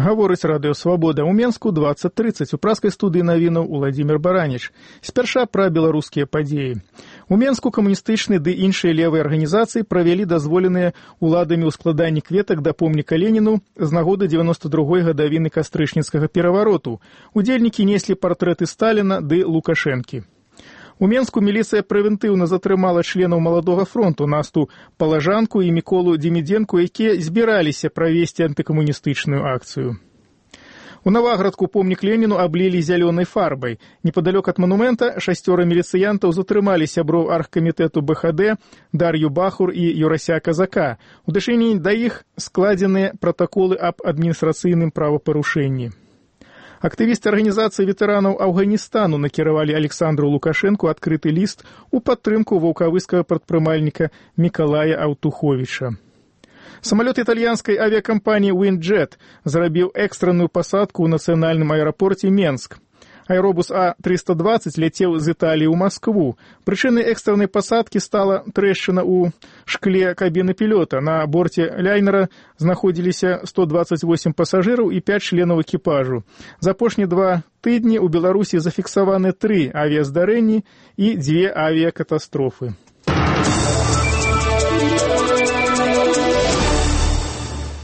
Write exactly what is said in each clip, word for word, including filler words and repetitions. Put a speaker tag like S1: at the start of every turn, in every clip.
S1: Гаворыць радыё «Свабода». У Менску двадцать тридцать. У праскай студыі навінаў Уладзімір Бараніч. Спярша пра беларускія падзеі. У Менску камуністычныя ды іншыя левыя арганізацыі правялі дазволеныя уладамі ў складанні кветак да помніка Леніну з нагоды дзевяноста другой гадавіны кастрычніцкага перавароту. Удзельнікі неслі партрэты Сталіна ды Лукашэнкі. У Менску міліцыя прэвентыўна затрымала членаў Маладога фронту Насту Палажанку і Міколу Демідзенку, якія збіраліся правесці антыкамуністычную акцыю. У Наваградку помнік Леніну аблілі зялёнай фарбай. Непадалёк ад манумента шасцёра міліцыянтаў затрымалі сяброў аргкамітэту бэ ха дэ Дар'ю Бахур і Юрася Казака. У дачыненні да іх складзеныя пратаколы аб адміністрацыйным правапарушэнні. Актывісты арганізацыі ветэранаў Афганістану накіравалі Александру Лукашэнку адкрыты ліст у падтрымку ваўкавыскага прадпрымальніка Мікалая Аўтуховіча. Самалёт італьянскай авіякампаніі «Виндджет» зрабіў экстранную пасадку ў нацыянальным аэрапорце Менск. Аэробус А триста двадцать ляцеў з Італіі ў Маскву. Прычынай экстраннай пасадкі стала трэшчына ў шкле кабіны пілёта. На борце лайнера знаходзіліся сто двадцать восемь пасажыраў і пяць членаў экіпажу. За апошнія два тыдні ў Беларусі зафіксаваны тры авіяздарэнні і дзве авіякатастрофы.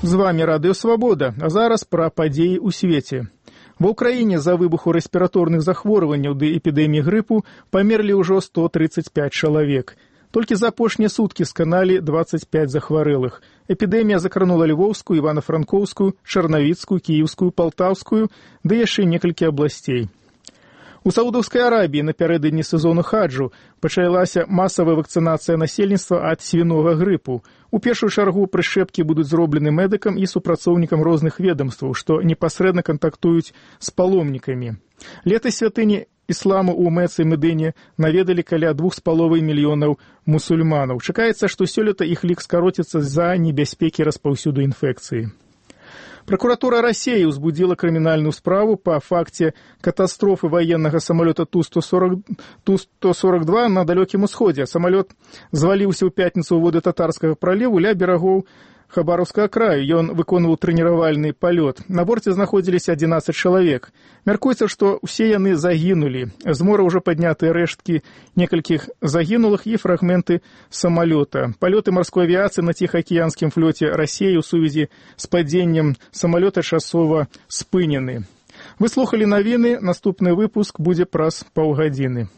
S1: З вамі радыё «Свабода», а зараз пра падзеі ў свеце. Ва ўкраіне за выбуху рэспіраторных захворванняў ды эпідэміі грыпу памерлі ўжо сто тридцать пять чалавек. Толькі за апошнія суткі сканалі двадцать пять захварэлых. Эпідэмія закранула Львоўскую, Івана-Франкоўскую, Чарнавіцкую, Кіеўскую, Палтаўскую ды яшчэ некалькі абласцей. У Саудаўскай Арабіі напярэдадні сезону хаджу пачалася масавая вакцынацыя насельніцтва ад свінога грыпу. У першую чаргу прышчэпкі будуць зроблены медыкам і супрацоўнікам розных ведамстваў, што непасрэдна кантактуюць з паломнікамі. Летась святыні ісламу ў Мэцы і Медыне наведалі каля двух з паловай мільёнаў мусульманаў. Чакаецца, што сёлета іх лік скароціцца з-за небяспекі распаўсюду інфекцыі. Прокуратура России узбудила криминальную справу по факте катастрофы военного самолета Ту сто сорок два на далеком усходе. Самолет звалился в пятницу у воды Татарского пролива ля берегов Хабаровского краю. Ён выконваў тренировальный полет. На борте находились одиннадцать человек. Мяркуецца, что все яны загинули. З мора уже подняты рештки некальких загинулых и фрагменты самолета. Полеты морской авиации на Тихоокеанском флоте России у сувязі с падзеннем самолета часова спынены. Вы слухали навіны, наступны выпуск будзе праз паўгадзіны.